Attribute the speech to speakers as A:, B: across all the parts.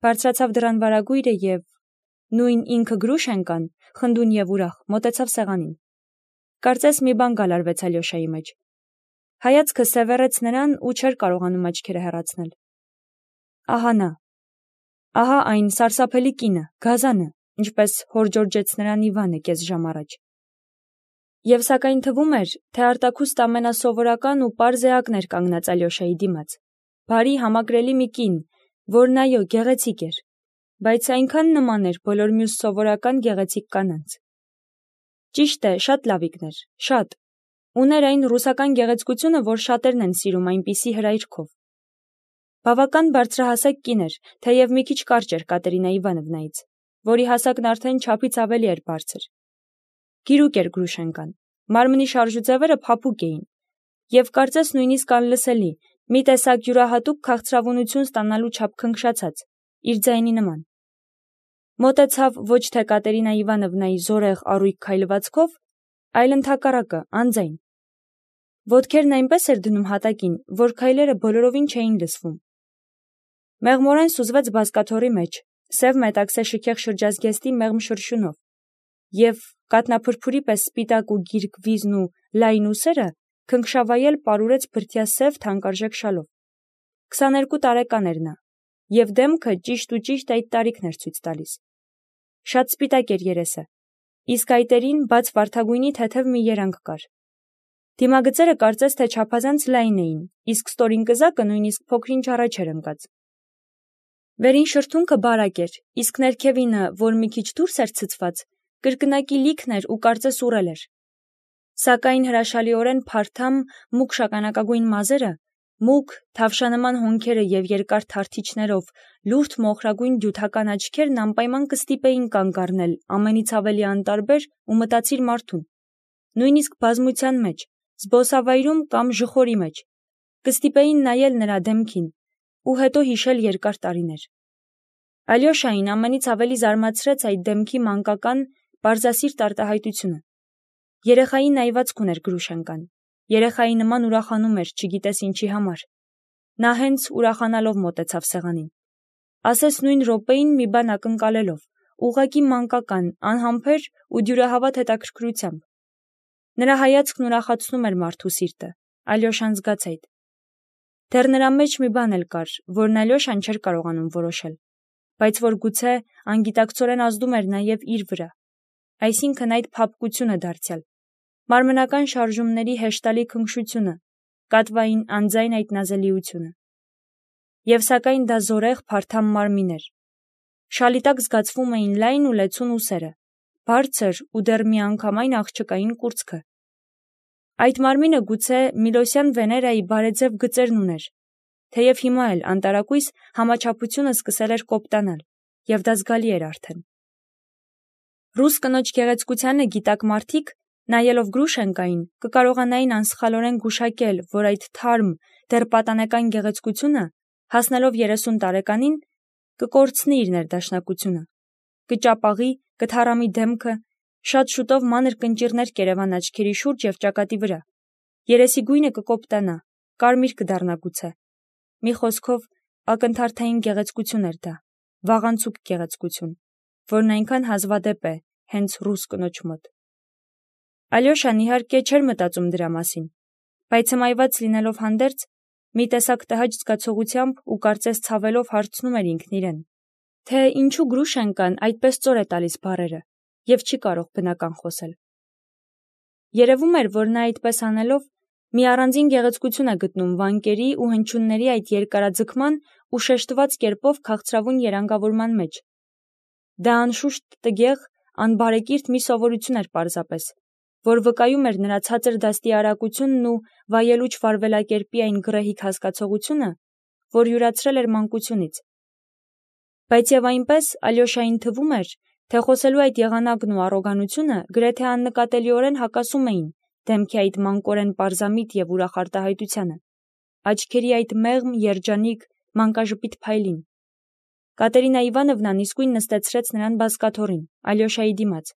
A: Բարձրացավ դռան վարագույրը և նույն ինքը Գրուշենկան, խնդուն և ուրախ, մոտեցավ սեղանին։ Կարծես մի բան գալարվեց Ալյոշայի մեջ։ Հայացքը սևեռեց նրան ու չէր կարողանում աչքերը հեռացնել։ Ահա նա, ահա այն սարսափելի կինը, գազանը, ինչպես հորջորջեց նրան Իվանը կես ժամ առաջ։ Եվ սակայն թվում էր, թե արտաքուստ ամենասովորական ու պարզ էակն էր կանգնած Ալյոշայի դիմաց, բարի համակրելի մի կին, որն այո գեղեցիկ էր, բայց այնքան նման էր բոլոր մյուս սովորական գեղեցիկ կանանց։ Ճիշտ է, շատ լավիկն էր, շատ, ուներ այն ռուսական գեղեցկությունը, որ շատերն են սիրում այնպիսի հրայրքով։ Բավական բարձրահասակ կին էր, թեև մի քիչ կարճ էր Կատերինա Իվանովնայից, որի հասակն արդեն չափից ավելի էր բարձր։ Գիրուկ էր Գրուշենկան, մարմնի շարժուձևերը փափուկ էին, և կարծես նույնիսկ անլսելի, մի տեսակ յուրահատուկ քաղցրավունություն ստանալու չափ քնքշացած, իր ձայնի նման։ Մոտեցավ ոչ թե Կատերինա Իվանովնայի զորեղ առույգ քայլվածքով, այլ ընդհակառակը, անձայն։ Ոտքերն այնպես էր դնում հատակին, որ քայլերը բոլորովին չէին լսվում։ Մեղմորեն սուզվեց բազկաթոռի մեջ, սև մետաքսե շքեղ շրջազգեստի մեղմ շրշյունով, և կաթնափրփուրի պես սպիտակ ու գիրք վիզն ու լայն ուսերը քնքշավայել պարուրեց բրդյա սև թանկարժեք շալով։ 22 տարեկան էր նա, և դեմքը ճիշտ այդ տարիքն էր ցույց տալիս։ Շատ սպիտակ էր երեսը, իսկ այտերին բաց վարդագույնի թեթև մի երանգ կար։ Դիմագծերը կարծես թե չափազանց լայն էին, իսկ ստորին կզակը նույնիսկ փոքր-ինչ առաջ էր ընկած։ Վերին շրթունքը բարակ էր, իսկ ներքևինը, որ մի քիչ դուրս էր ցցված, կրկնակի լիքն էր ու կարծես ուռել էր։ Սակայն հրաշալիորեն փարթամ, մուգ շագանակագույն մազերը, մուգ, թավշանման հոնքերը և երկար թարթիչներով լուրջ մոխրագույն դյութական աչքերն անպայման կստիպեին կանգ առնել ամենից ավելի անտարբեր ու մտածիր մարդուն, նույնիսկ բազմության մեջ, զբոսավայրում կամ ժխորի մեջ, կստիպեին նայել նրա դեմքին ու հետո հիշել երկար տարիներ։ Ալյոշային ամենից ավելի զարմացրեց այդ դեմքի մանկական, պարզասիրտ արտահայտությունը։ Երեխայի նայվածք ուներ Գրուշենկան, երեխայի նման ուրախանում էր, չգիտես ինչի համար։ Նա հենց ուրախանալով մոտեցավ սեղանին։ Ասես նույն րոպեին մի բան ակնկալելով, ուղղակի մանկական, անհամբեր ու դյուրահավատ հետաքրքրությամբ։ Նրա հայացքն ուրախացնում էր մարդու սիրտը, Ալյոշան զգաց այդ։ Դեռ նրա մեջ մի բան էլ կար, որն Ալյոշան չէր կարողանում որոշել, բայց որ գուցե անգիտակցորեն ազդում էր նաև իր վրա, այսինքն այդ փափկությունը դարձյալ, մարմնական շարժումների հեշտալի քնքշությունը, կատվային անձայն այդ նազելիությունը։ Եվ սակայն դա զորեղ փարթամ մարմին էր։ Շալի տակ զգացվում էին լայն ու լեցուն ուսերը, բարձր ու դեռ միանգամայն աղջկային կուրծքը։ Այդ մարմինը գուցե Միլոսյան Վեներայի բարեձև գծերն ուներ, թեև հիմա էլ անտարակույս համաչափությունը սկսել էր կոպտանալ, և դա զգալի էր արդեն։ Ռուս կնոջ գեղեցկությանը գիտակ մարդիկ, նայելով Գրուշենկային, կկարողանային անսխալորեն գուշակել, որ այդ թարմ, դեռ պատանեկան գեղեցկությունը, հասնելով 30 տարեկանին, կկորցնի իր ներդաշնակությունը, կճապաղի, կթառամի դեմքը, շատ շուտով մանր կնճիռներ կերևան աչքերի շուրջ և ճակատի վրա, երեսի գույնը կկոպտանա, կարմիր կդառնա գուցե։ Մի խոսքով, ակնթարթային գեղեցկություն էր դա, վաղանցուկ գեղեցկություն, որն այնքան հազվադեպ է հենց ռուս կնոջ մոտ։ Ալյոշան իհարկե չէր մտածում դրա մասին, բայց հմայված լինելով հանդերձ, մի տեսակ տհաճ զգացողությամբ ու կարծես ցավելով հարցնում էր ինքն իրեն, թե ինչու Գրուշենկան այդպես ծոր է տալիս բառերը և չի կարող բնական խոսել։ Երևում էր, որ նա այդպես անելով մի առանձին գեղեցկություն է գտնում վանկերի ու հնչյունների այդ երկարաձգման ու շեշտված կերպով քաղցրավուն երանգավորման մեջ։ Դա անշուշտ տգեղ, անբարեկիրթ մի սովորություն էր պարզապես, որ վկայում էր նրա ցածր դաստի արագությունն ու վայելուչ վարվելակերպի այն գռեհիկ հասկացողությունը, որ յուրացրել էր մանկությունից։ Բայց և այնպես Ալյոշային թվում էր, թե խոսելու այդ եղանակն ու առոգանությունը գրեթե աննկատելիորեն հակասում էին դեմքի այդ մանկորեն պարզամիտ և ուրախ արտահայտությանը, աչքերի այդ մեղմ, երջանիկ, մանկաժպիտ փայլին։ Կատերինա Իվանովնան իսկույն նստեցրեց նրան բազկաթոռին, Ալյոշայի դիմաց,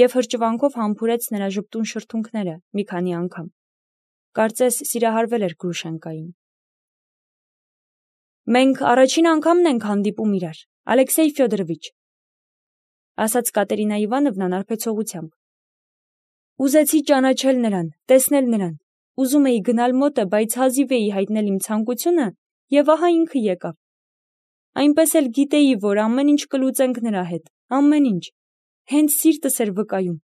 A: և հրճվանքով համբուրեց նրա ժպտուն շրթունքները մի քանի անգամ։ Կարծես սիրահարվել էր Գրուշենկային։ Մենք առաջին անգամն ենք հանդիպում իրար, Ալեքսեյ Ֆյոդորովիչ, ասաց Կատերինա Իվանովնան արբեցողությամբ։ Ուզեցի ճանաչել նրան, տեսնել նրան, ուզում էի գնալ մոտը, բայց հազիվ էի հայտնել իմ ցանկությունը, եւ ահա ինքը եկավ։ Այնպես էլ գիտեի, որ ամեն ինչ կլուծենք նրա հետ, ամեն ինչ, հենց սիրտս էր վկայում։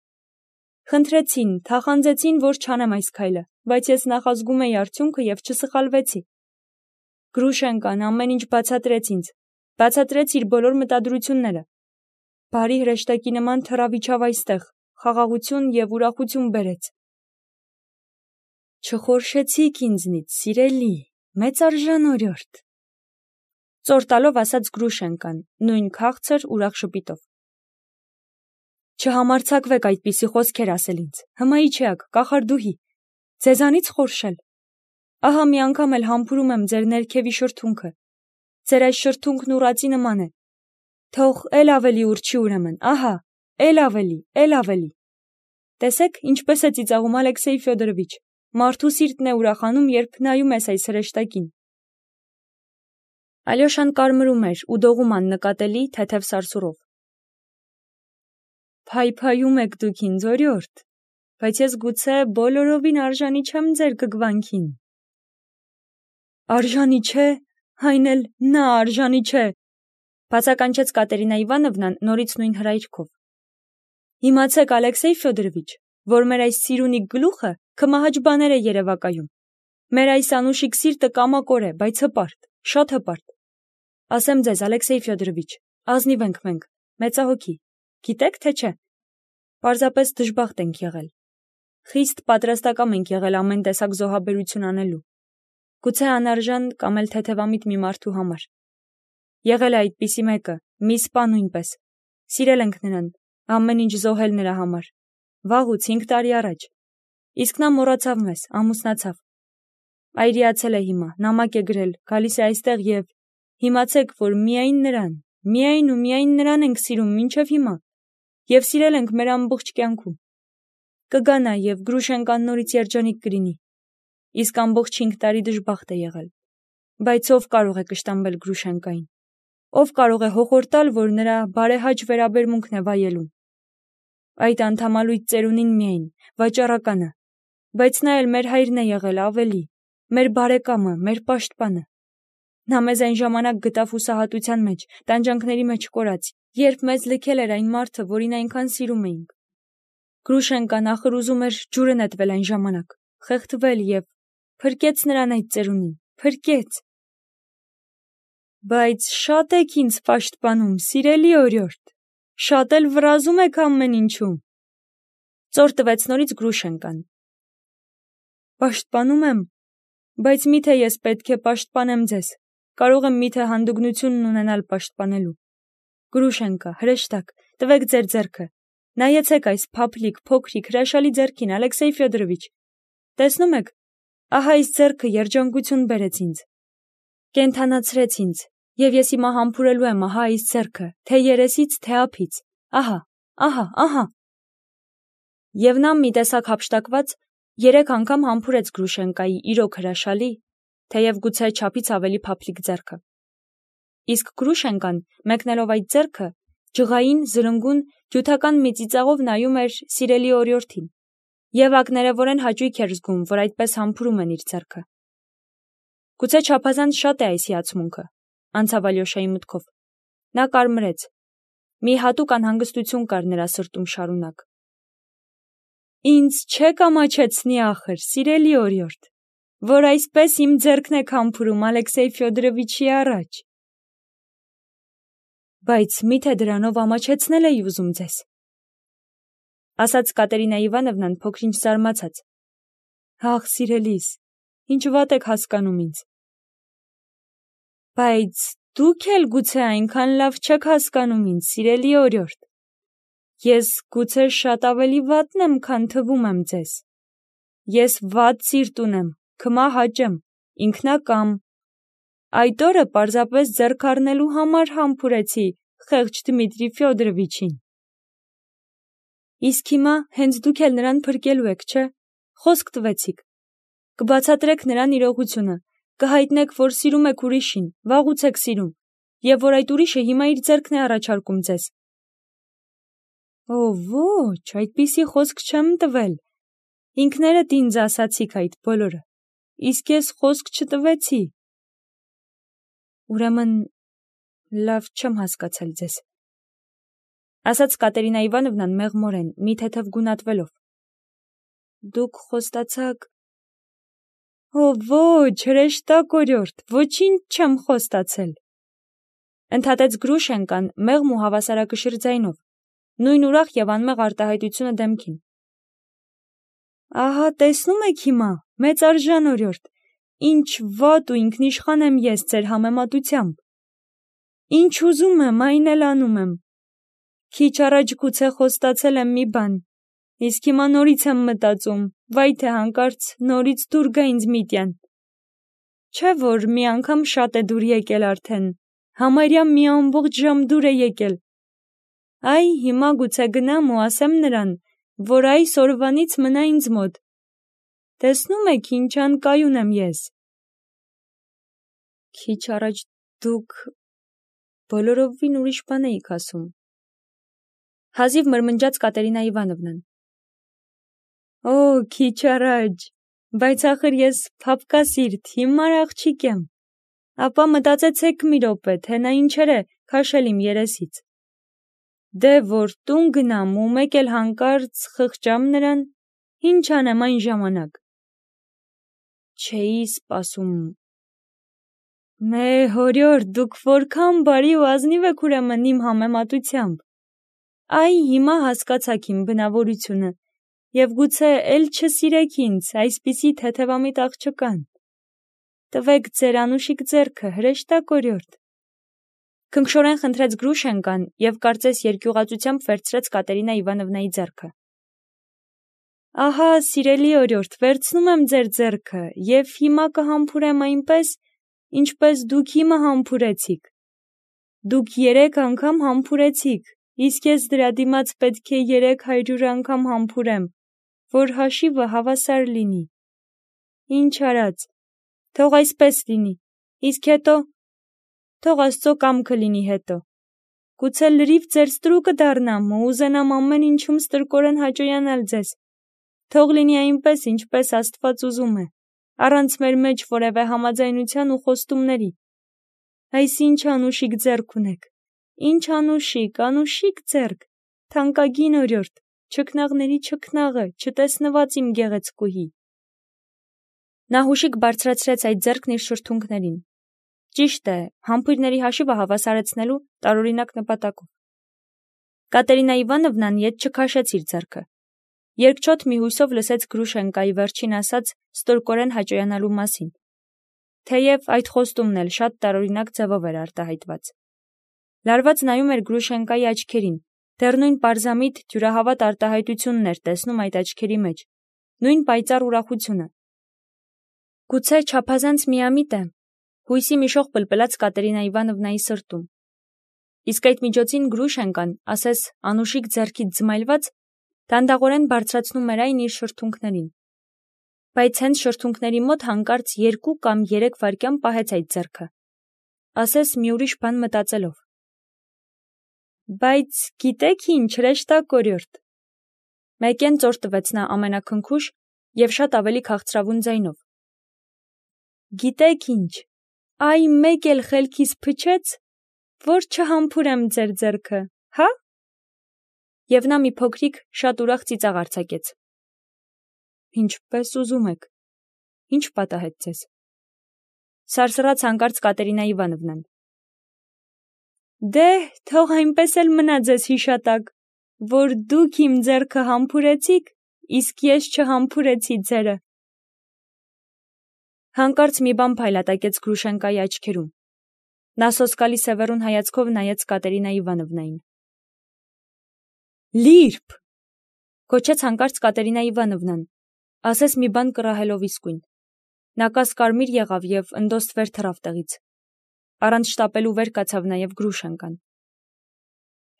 A: Խնդրեցին, թախանձեցին, որ չանեմ այս քայլը, բայց ես նախազգում էի արդյունքը եւ չսխալվեցի։ Գրուշենկան ամեն ինչ բացատրեց ինձ, բացատրեց իր բոլոր մտադրությունները։ Բարի հրեշտակի նման թռավիճավ այստեղ, խաղաղություն եւ ուրախություն բերեց։ Չխորշեցիք ինձնից, սիրելի, մեծարժան օրիորդ, ծոր տալով ասաց Գրուշենկան, նույն քաղցր ուրախ շպիտով։ Չհամարձակվեք այդպիսի խոսքեր ասել ինձ, հմայիչեակ, կախարդուհի, ձեզանից խորշել։ Ահա մի անգամ էլ համբուրում եմ ձեր ներքևի շրթունքը, ձեր այս շրթունքն ուռածի նման է, թող էլ ավելի ուրչի ուրեմն, ահա, էլ ավելի։ Տեսեք, ինչպես է ծիծաղում Ալեքսեյ Ֆյոդորովիչ, մարդու սիրտն է ուրախանում, երբ նայում ես այս հրեշտակին։ Ալյոշան կարմրում էր ու դողում աննկատելի թեթև սարսուռով։ Փայփայում եք դուք ինձ, օրիորդ, բայց ես գուցե բոլորովին արժանի չեմ ձեր գգվանքին։ Արժանի չէ, այն էլ նա արժանի չէ, բացականչեց Կատերինա Իվանովնան նորից նույն հրայրքով։ Իմացեք, Ալեքսեյ Ֆյոդորովիչ, որ մեր այս սիրունիկ գլուխը քմահաճ բաներ է երևակայում։ Մեր այս անուշիկ սիրտը կամակոր է, բայց հպարտ, շատ հպարտ։ Ասեմ ձեզ, Ալեքսեյ Ֆյոդորովիչ, ազնիվ ենք մենք, մեծահոգի, գիտեք թե չէ։ Պարզապես դժբախտ ենք եղել։ Խիստ պատրաստակամ ենք եղել ամեն տեսակ զոհաբերություն անելու։ Գուցե անարժան կամ էլ թեթևամիտ մի մարդու համար։ Եղել է այդպիսի մեկը, մի սպա նույնպես։ Սիրել ենք նրան, ամեն ինչ զոհել նրա համար։ Վաղուց 5 տարի առաջ։ Իսկ նա մոռացավ մեզ, ամուսնացավ։ Այրիացել է հիմա, նամակ է գրել, գալիս է այստեղ եւ իմացեք, որ միայն նրան, միայն նրան ենք սիրում մինչև հիմա եւ սիրել ենք մեր ամբողջ կյանքում։ Կգա նա եւ Գրուշենկան նորից երջանիկ կլինի։ Իսկ ամբողջ 5 տարի դժբախտ է եղել։ Բայց ով կարող է կշտամբել Գրուշենկային։ Ով կարող է հոխորտալ, որ նրա բարեհաճ վերաբերմունքն է վայելում։ Այդ անդամալույց ծերունին միայն, վաճառականը, բայց նա էլ մեր հայրն է եղել ավելի, մեր բարեկամը, մեր պաշտպանը։ Նա մեզ այն ժամանակ գտավ հուսահատության մեջ, տանջանքների մեջ կորած, երբ մեզ լքել էր այն մարդը, որին այնքան սիրում էինք։ Գրուշենկան ախր ուզում էր ջուրը նետվել այն ժամանակ, խեղդվել եւ փրկեց նրան այդ ծերունին, փրկեց։ Բայց շատ եք ինձ պաշտպանում, սիրելի օրիորդ, շատ էլ վրազում եք ամեն ինչում։ Ծոր տվեց նորից Գրուշենկան։ Պաշտպանում եմ, բայց միթե ես պետք է պաշտպանեմ ձեզ, կարող եմ միթե հանդգնությունն ունենալ պաշտպանելու։ Գրուշենկա, հրեշտակ, տվեք ձեր ձեռքը, նայեցեք այս փափլիկ, փոքրիկ, հրաշալի ձեռքին, Ալեքսեյ Ֆյոդորովիչ, տեսնում եք, ահա այս ձեռքը երջանկություն բերեց ինձ, կենդանացրեց ինձ, եւ ես հիմա համբուրելու եմ ահա այս ձեռքը, թե երեսից, թե ափից, ահա։ Եվ նա մի տեսակ հափշտակված 3 անգամ համբուրեց Գրուշենկայի իրոք հրաշալի, թեև գուցե չափից ավելի փափլիկ ձեռքը։ Իսկ Գրուշենկան, մեկնելով այդ ձեռքը, ջղային, զրնգուն, ջութական մի ծիծաղով նայում էր սիրելի օրիորդին, եւ ակներևորեն հաճույք էր զգում, որ այդպես համբուրում են իր ձեռքը։ Գուցե չափազանց շատ է այս հիացմունքը, անցավ Ալյոշայի մտքով։ Նա կարմրեց։ Մի հատուկ անհանգստություն կար նրա սրտում շարունակ։ Ինձ չեք ամաչեցնի ախր, սիրելի օրիորդ, որ այսպես իմ ձեռքն եք համբուրում Ալեքսեյ Ֆյոդորովիչի առաջ։ Բայց միթե դրանով ամաչեցնել էի ուզում ձեզ, ասաց Կատերինա Իվանովնան փոքրինչ զարմացած։ Ահ, սիրելիս, ինչ վատ եք հասկանում ինձ։ Բայց դուք էլ գուցե այնքան լավ չեք հասկանում ինձ, սիրելի օրիորդ։ Ես գուցե շատ ավելի վատն եմ, քան թվում եմ ձեզ։ Ես վատ սիրտ ունեմ, քմահաճ եմ, ինքնակամ։ Այդ օրը պարզապես ձեռք առնելու համար համբուրեցի խեղճ Դմիտրի Ֆյոդորովիչին։ Իսկ հիմա հենց դուք էլ նրան փրկելու եք, չէ՞։ Խոսք տվեցիք։ Կբացատրեք նրան իրողությունը, կհայտնեք, որ սիրում եք ուրիշին, վաղուց եք սիրում, եւ որ այդ ուրիշը հիմա իր ձեռքն է առաջարկում ձեզ։ Օ, ոչ, այդպիսի խոսք չեմ տվել։ Ինքներդ ինձ ասացիք այդ բոլորը, իսկ ես խոսք չտվեցի։ Ուրեմն լավ չեմ հասկացել ձեզ, ասաց Կատերինա Իվանովնան մեղմորեն, մի թեթև գունատվելով։ Դուք խոստացաք… Օ, ոչ, հրեշտակորյորդ, ոչինչ չեմ խոստացել, ընդհատեց Գրուշենկան մեղմ ու հավասարակշիռ ձայնով, նույն ուրախ եւ անմեղ արտահայտությունը դեմքին։ Ահա տեսնում եք հիմա, մեծարժան օրիորդ, ինչ վատ ու ինքնիշխան եմ ես ձեր համեմատությամբ։ Ինչ ուզում եմ, այն էլ անում եմ։ Քիչ առաջ գուցե խոստացել եմ մի բան, իսկ հիմա նորից եմ մտածում, վայ թե հանկարծ նորից դուր գա ինձ միտյան։ Չէ՞ որ մի անգամ շատ է դուր եկել արդեն, համարյա մի ամբողջ ժամ դուր է եկել։ Այ հիմա գուցե գնամ ու ասեմ նրան, որ այս օրվանից մնա ինձ մոտ։ Տեսնում եք ինչ անկայուն եմ ես։ Քիչ առաջ դուք բոլորովին ուրիշ բան էիք ասում։ Հազիվ մրմնջաց Կատերինա Իվանովնան։ Օ, քիչ առաջ, բայց ախր ես փափկասիրտ, հիմար աղջիկ եմ։ Ապա մտածեցեք մի րոպե, թե նա ինչեր է քաշել իմ երեսից։ Դե որ տուն գնամ ու մեկ էլ հանկարծ խղճամ նրան, ինչ անեմ այն ժամանակ։ Չէի սպասում։ Մե հորյոր, դուք որքան բարի ու ազնիվ եք ուրեմն իմ համեմատությամբ։ Այ հիմա հասկացաք իմ բնավորությունը, եւ գուցե էլ չսիրեք ինձ, այսպիսի թեթևամիտ աղջկան։ Տվեք ձեր անուշիկ ձեռքը, հրեշտակորյորդ։ Քնքշորեն խնդրեց Գրուշենկան եւ կարծես երկյուղածությամբ վերցրեց Կատերինա Իվանովնայի ձեռքը։ Ահա, սիրելի օրիորդ, վերցնում եմ ձեր ձեռքը եւ հիմա կհամբուրեմ այնպես, ինչպես դուք իմը համբուրեցիք։ Դուք 3 անգամ համբուրեցիք, իսկ ես դրա դիմաց պետք է 300 անգամ համբուրեմ, որ հաշիվը հավասար լինի։ Ինչ արած, թող այսպես լինի, իսկ հետո… Թող Աստծո կամքը լինի հետո։ Գուցե լրիվ ձեր ստրուկը դառնամ ու ուզենամ ամեն ինչում ստրկորեն հաճոյանալ ձեզ։ Թող լինի այնպես, ինչպես Աստված ուզում է, առանց մեր մեջ որևէ համաձայնության ու խոստումների։ Այս ինչ անուշիկ ձեռք ունեք, ինչ անուշիկ ձեռք, թանկագին օրիորդ, չքնաղների չքնաղը, չտեսնված իմ գեղեցկուհի։ Նա հուշիկ բարձրացրեց այդ ձեռքն իր շրթունքներին։ Ճիշտ է, համբույրների հաշիվը հավասարեցնելու տարօրինակ նպատակով։ Կատերինա Իվանովնան ետ չքաշեց իր ձեռքը։ Երկչոտ մի հույսով լսեց Գրուշենկայի վերջին ասած ստորկորեն հաճոյանալու մասին, թեև այդ խոստումն էլ շատ տարօրինակ ձևով էր արտահայտված։ Լարված նայում էր Գրուշենկայի աչքերին, դեռ նույն պարզամիտ ջուրահավատ արտահայտությունն էր տեսնում այդ աչքերի մեջ, նույն պայծառ ուրախությունը։ Գուցե չափազանց միամիտ է, հույսի մի շող պլպլաց Կատերինա Իվանովնայի սրտում։ Իսկ այդ միջոցին Գրուշենկան, ասես անուշիկ ձեռքից զմայլված, դանդաղորեն բարձրացնում էր այն իր շրթունքներին։ Բայց հենց շրթունքների մոտ հանկարծ 2 կամ 3 վայրկյան պահեց այդ ձեռքը, ասես մի ուրիշ բան մտածելով։ Բայց գիտեք ինչ, հրեշտակորյորդ, մեկեն ծոր տվեց նա ամենաքնքուշ եւ շատ ավելի քաղցրավուն ձայնով։ Գիտեք ինչ, այ մեկ էլ խելքիս փչեց, որ չհամբուրեմ ձեր ձեռքը, հա։ Եվ նա մի փոքրիկ, շատ ուրախ ծիծաղ արձակեց։ Ինչպես ուզում եք, ինչ պատահեց ձեզ։ Սարսռաց հանկարծ Կատերինա Իվանովնան։ Դե, թող այնպես էլ մնա ձեզ հիշատակ, որ դուք իմ ձեռքը համբուրեցիք, իսկ ես չհամբուրեցի ձերը։ Հանկարծ մի բան փայլատակեց Գրուշենկայի աչքերում։ Նա սոսկալի սևեռուն հայացքով նայեց Կատերինա Իվանովնային։ Լիրբ, գոչեց հանկարծ Կատերինա Իվանովնան, ասես մի բան կռահելով իսկույն։ Նա կասկարմիր եղավ եւ ընդոստվեր թռավ տեղից։ Առանց շտապելու վեր կացավ նաեւ Գրուշենկան։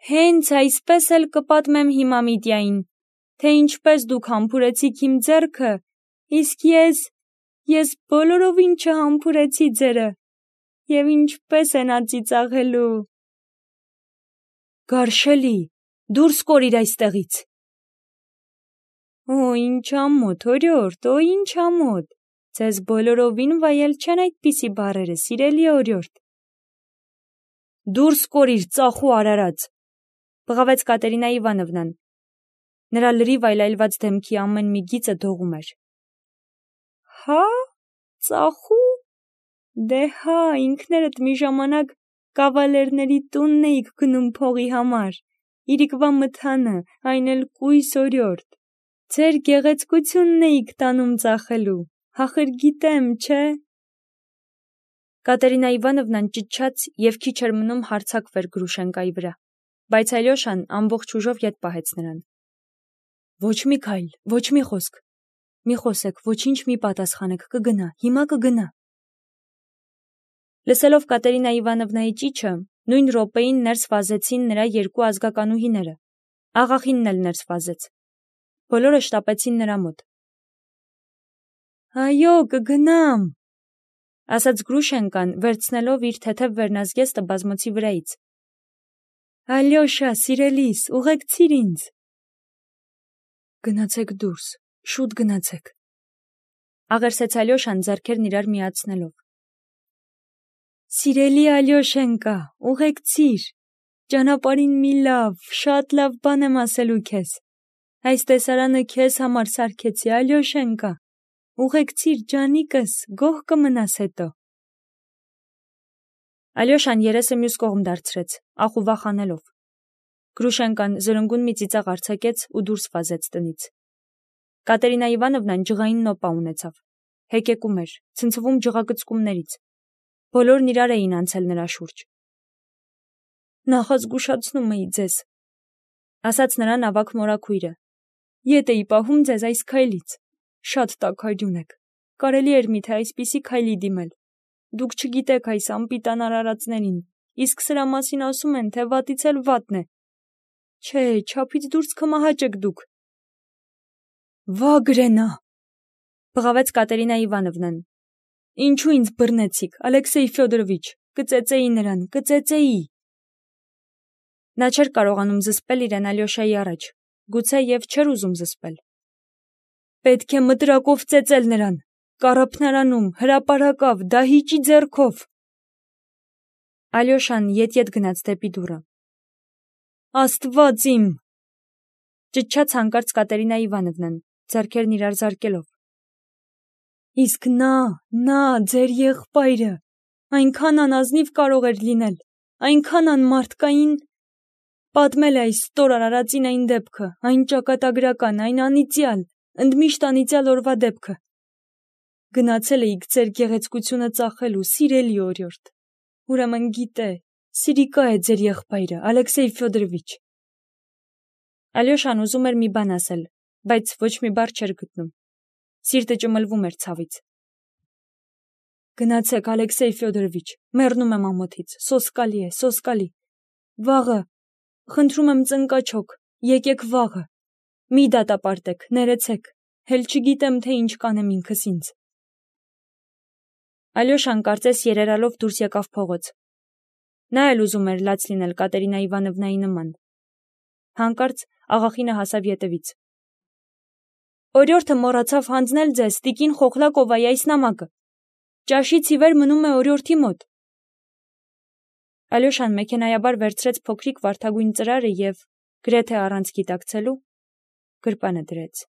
A: Հենց այսպես էլ կպատմեմ հիմա Միտյային, թե ինչպես դուք համբուրեցիք իմ ձեռքը, իսկ ես… Ես բոլորովին չհամբուրեցի ձերը, և ինչպես է նա ծիծաղելու։ Գարշելի, դուրս կորիր այստեղից։ Օ, ինչ ամոթ, օրիորդ, օ, ինչ ամոթ, ձեզ բոլորովին վայել չեն այդպիսի բառերը, սիրելի օրիորդ։ Դուրս կորիր, ծախու արարած, բղավեց Կատերինա Իվանովնան։ Նրա լրիվ այլայլված դեմքի ամեն մի գիծը դողում էր։ Հա, ծախու, դե հա, ինքներդ մի ժամանակ կավալերների տունն էիք գնում փողի համար, իրիկվա մթանը, այն էլ կույս օրիորդ, ձեր գեղեցկությունն էիք տանում ծախելու, հախր գիտեմ, չէ։ Կատերինա Իվանովնան ճիչաց և քիչ էր մնում հարձակվեր Գրուշենկայի վրա, բայց Ալյոշան ամբողջ ուժով ետ պահեց նրան։ Ոչ մի քայլ, ոչ մի խոսք, մի խոսեք, ոչինչ մի պատասխանեք, կգնա, հիմա կգնա։ Լսելով Կատերինա Իվանովնայի ճիչը, նույն րոպեին ներս վազեցին նրա երկու ազգականուհիները, աղախինն էլ ներս վազեց, բոլորը շտապեցին նրա մոտ։ Այո, կգնամ, ասաց Գրուշենկան, վերցնելով իր թեթև վերնազգեստը բազմոցի վրայից։ Ալյոշա, սիրելիս, ուղեկցիր ինձ։ Գնացեք դուրս, շուտ գնացեք, աղերսեց Ալյոշան ձեռքերն իրար միացնելով։ Սիրելի Ալյոշենկա, ուղեկցիր, ճանապարհին մի շատ լավ բան եմ ասելու քեզ։ Այս տեսարանը քեզ համար սարքեցի, Ալյոշենկա, ուղեկցիր ջանիկս, գոհ կմնաս հետո։ Ալյոշան երեսը մյուս կողմ դարձրեց, ախ ու վախանելով։ Գրուշենկան զրնգուն մի ծիծաղ արձակեց ու դուրս վազեց տնից։ Կատերինա Իվանովնան ջղային նոպա ունեցավ, հեկեկում էր, ցնցվում ջղակծկումներից։ Բոլորն իրար էին անցել նրա շուրջ։ Նախազգուշացնում էի ձեզ, ասաց նրան ավագ մորաքույրը։ Ետ էի պահում ձեզ այս քայլից։ Շատ տաքարյուն եք։ Կարելի էր միթե այսպիսի քայլի դիմել։ Դուք չգիտեք այս անպիտան արարածներին, իսկ սրա մասին ասում են, թե վատից էլ վատն է։ Չէ, չափից դուրս կմահաճ եք դուք։ Վա գրենա, բղավեց Կատերինա Իվանովնան։ Ինչու ինձ բռնեցիք, Ալեքսեյ Ֆյոդորովիչ, կծեծեի նրան, կծեծեի։ Նա չէր կարողանում զսպել իրեն Ալյոշայի առաջ, գուցե և չէր ուզում զսպել։ Պետք է մտրակով ծեծել նրան, կառափնարանում, հրապարակավ, դահիճի ձեռքով։ Ալյոշան ետ գնաց դեպի դուռը։ Աստված իմ, ճչաց հանկարծ Կատերինա Իվանովնան, ձեռքերն իրար զարկելով։ Իսկ նա, ձեր եղբայրը, այնքան անազնիվ կարող էր լինել, այնքան անմարդկային, պատմել է այս ստոր արարածին այն դեպքը, այն ճակատագրական, այն անիծյալ, ընդմիշտ անիծյալ օրվա դեպքը։ Գնացել էիք ձեր գեղեցկությունը ծախելու, սիրելի օրիորդ, ուրեմն գիտե, սիրիկա է ձեր եղբայրը, Ալեքսեյ Ֆյոդորովիչ։ Ալյոշան ուզում էր մի բան ասել, բայց ոչ մի բառ չէր գտնում։ Սիրտը ճմլվում էր ցավից։ Գնացեք, Ալեքսեյ Ֆյոդորովիչ, մեռնում եմ ամոթից, սոսկալի է, սոսկալի։ Վաղը, խնդրում եմ ծնկաչոք, եկեք վաղը։ Մի դատապարտեք, ներեցեք, հել չգիտեմ, թե ինչ կանեմ ինքս ինձ։ Ալյոշան կարծես երերալով դուրս եկավ փողոց։ Նա էլ ուզում էր լաց լինել Կատերինա Իվանովնայի նման։ Հանկարծ աղախինը հասավ ետևից։ Օրիորդը մոռացավ հանձնել ձեզ տիկին Խոխլակովայի այս նամակը։ Ճաշից ի վեր մնում է օրիորդի մոտ։ Ալյոշան մեքենայաբար վերցրեց փոքրիկ վարդագույն ծրարը և, գրեթե առանց գիտակցելու, գրպանը դրեց։